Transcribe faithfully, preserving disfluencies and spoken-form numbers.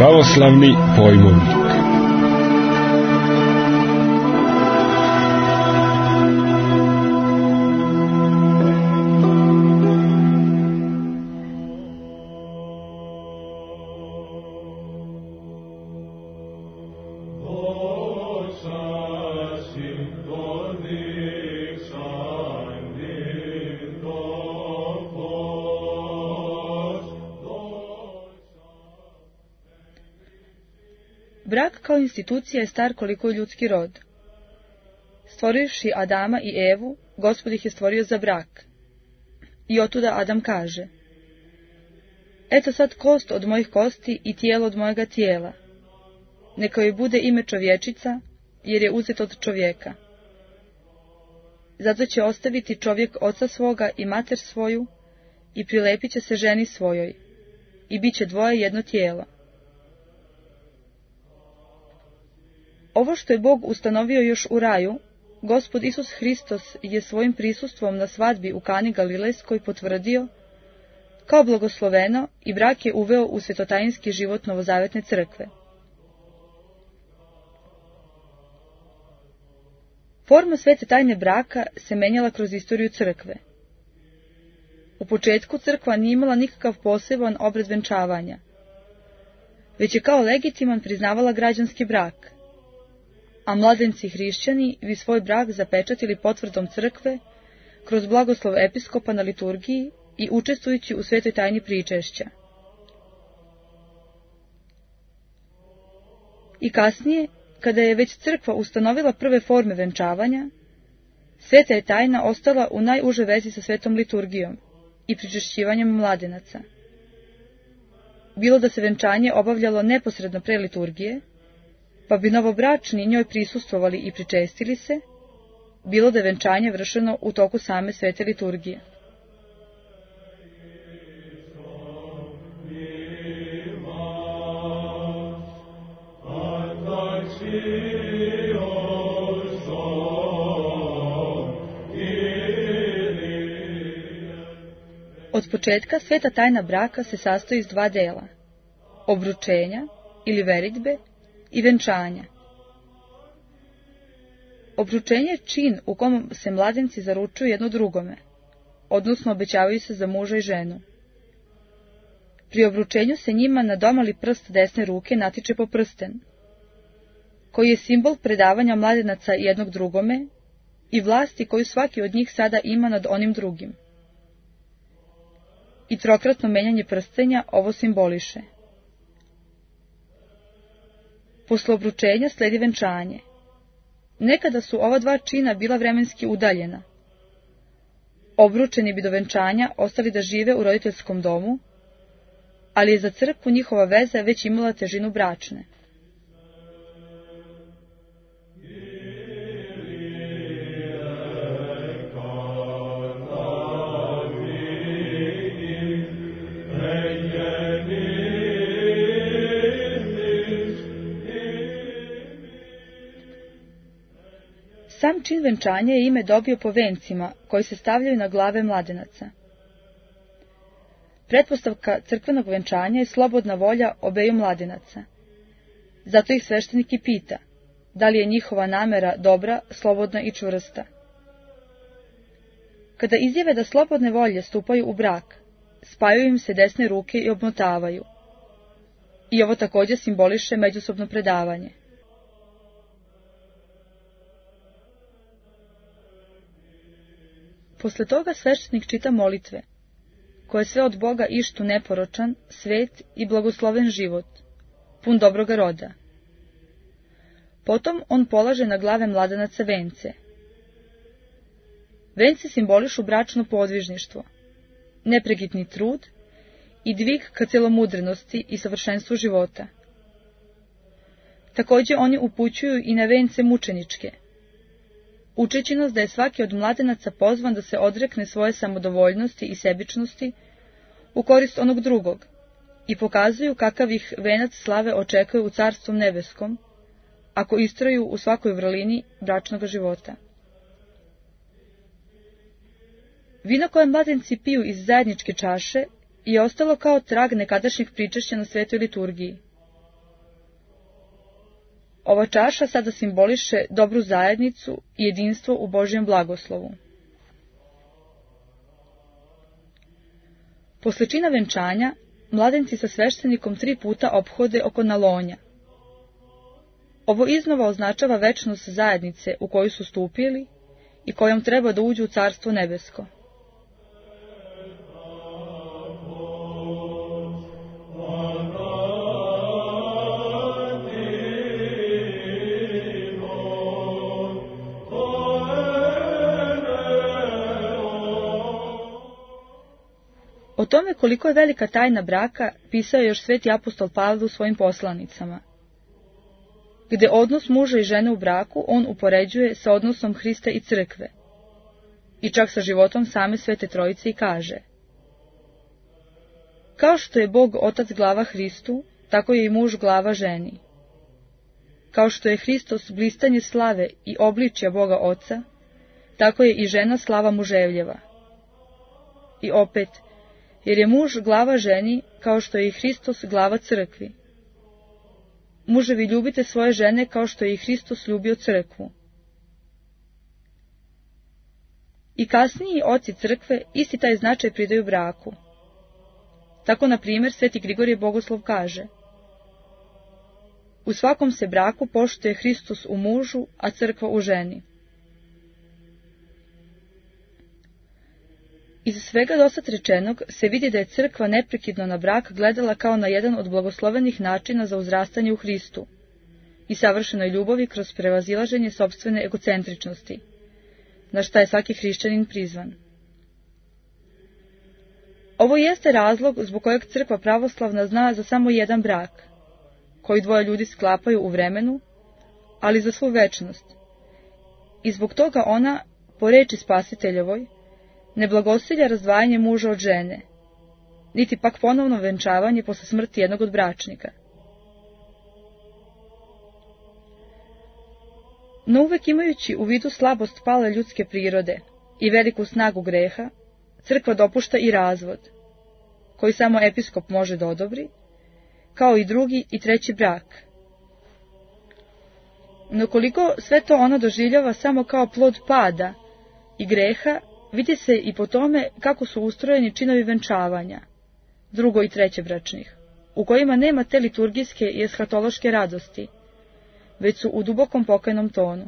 Pravoslavni pojmovnik. Brak kao institucija je star koliko je ljudski rod. Stvorivši Adama i Evu, Gospod ih je stvorio za brak. I otuda Adam kaže: Eto sad kost od mojih kosti i tijelo od mojega tijela. Neka joj bude ime čovječica, jer je uzet od čovjeka. Zato će ostaviti čovjek oca svoga i mater svoju i prilepit će se ženi svojoj i bit će dvoje jedno tijelo. Ovo što je Bog ustanovio još u raju, Gospod Isus Hristos je svojim prisustvom na svadbi u Kani Galilejskoj potvrdio kao blagosloveno i brak je uveo u svetotajinski život novozavetne crkve. Forma svete tajne braka se menjala kroz istoriju crkve. U početku crkva nije imala nikakav poseban obred venčavanja, već je kao legitiman priznavala građanski brak, a mladenci hrišćani bi svoj brak zapečatili potvrdom crkve kroz blagoslov episkopa na liturgiji i učestvujući u svetoj tajni pričešća. I kasnije, kada je već crkva ustanovila prve forme venčavanja, sveta je tajna ostala u najuže vezi sa svetom liturgijom i pričešćivanjem mladenaca. Bilo da se venčanje obavljalo neposredno pre liturgije, pa bi novobračni njoj prisustvovali i pričestili se, bilo da je venčanje vršeno u toku same svete liturgije. Od početka sveta tajna braka se sastoji iz dva dela: obručenja ili veritbe i venčanja. Obručenje je čin u kom se mladenci zaručuju jedno drugome, odnosno obećavaju se za muža i ženu. Pri obručenju se njima na domali prst desne ruke natiče po prsten, koji je simbol predavanja mladenaca jednog drugome i vlasti koju svaki od njih sada ima nad onim drugim. I trokratno menjanje prstenja ovo simboliše. Posle obručenja sledi venčanje. Nekada su ova dva čina bila vremenski udaljena. Obručeni bi do venčanja ostali da žive u roditeljskom domu, ali je za crkvu njihova veza već imala težinu bračne. Sam čin venčanja je ime dobio po vencima koji se stavljaju na glave mladenaca. Pretpostavka crkvenog venčanja je slobodna volja obeju mladenaca. Zato ih sveštenik i pita, da li je njihova namera dobra, slobodna i čvrsta. Kada izjave da slobodne volje stupaju u brak, spajaju im se desne ruke i obmotavaju. I ovo također simboliše međusobno predavanje. Posle toga sveštenik čita molitve, koje sve od Boga ištu neporočan, svet i blagosloven život, pun dobroga roda. Potom on polaže na glave mladenaca vence. Vence simbolišu bračno podvižništvo, nepregitni trud i dvig ka celomudrenosti i savršenstvu života. Također oni upućuju i na vence mučeničke, učeći nas da je svaki od mladenaca pozvan da se odrekne svoje samodovoljnosti i sebičnosti u korist onog drugog i pokazuju kakav ih venac slave očekuje u Carstvu nebeskom, ako istraju u svakoj vrlini bračnog života. Vino koje mladenci piju iz zajedničke čaše je ostalo kao trag nekadašnjeg pričešća na svetoj liturgiji. Ova čaša sada simboliše dobru zajednicu i jedinstvo u Božjem blagoslovu. Posle čina venčanja, mladenci sa sveštenikom tri puta ophode oko nalonja. Ovo iznova označava večnost zajednice u koju su stupili i kojom treba da uđu u Carstvo nebesko. O tome koliko je velika tajna braka pisao je još sveti apostol Pavle u svojim poslanicama, gde odnos muža i žene u braku on upoređuje sa odnosom Hrista i crkve, i čak sa životom same Svete Trojice i kaže: kao što je Bog Otac glava Hristu, tako je i muž glava ženi. Kao što je Hristos blistanje slave i obličja Boga Oca, tako je i žena slava muževljeva. I opet, jer je muž glava ženi, kao što je i Hristos glava crkvi. Muževi, ljubite svoje žene kao što je i Hristos ljubio crkvu. I kasniji oci crkve isti taj značaj pridaju braku. Tako, na primjer, sveti Grigorije Bogoslov kaže: u svakom se braku poštuje Hristos u mužu, a crkva u ženi. Iz svega dosad rečenog se vidi da je crkva neprekidno na brak gledala kao na jedan od blagoslovenih načina za uzrastanje u Hristu i savršenoj ljubavi kroz prevazilaženje sopstvene egocentričnosti, na šta je svaki hrišćanin prizvan. Ovo jeste razlog zbog kojeg crkva pravoslavna zna za samo jedan brak, koji dvoje ljudi sklapaju u vremenu, ali za svu večnost, i zbog toga ona, po reči Spasiteljevoj, ne blagosilja razdvajanje muža od žene, niti pak ponovno venčavanje posle smrti jednog od bračnika. No uvek imajući u vidu slabost pale ljudske prirode i veliku snagu greha, crkva dopušta i razvod, koji samo episkop može da odobri, kao i drugi i treći brak. No koliko sve to ona doživljava samo kao plod pada i greha, vidi se i po tome kako su ustrojeni činovi venčavanja, drugo i treće bračnih, u kojima nema te liturgijske i eshatološke radosti, već su u dubokom pokajnom tonu.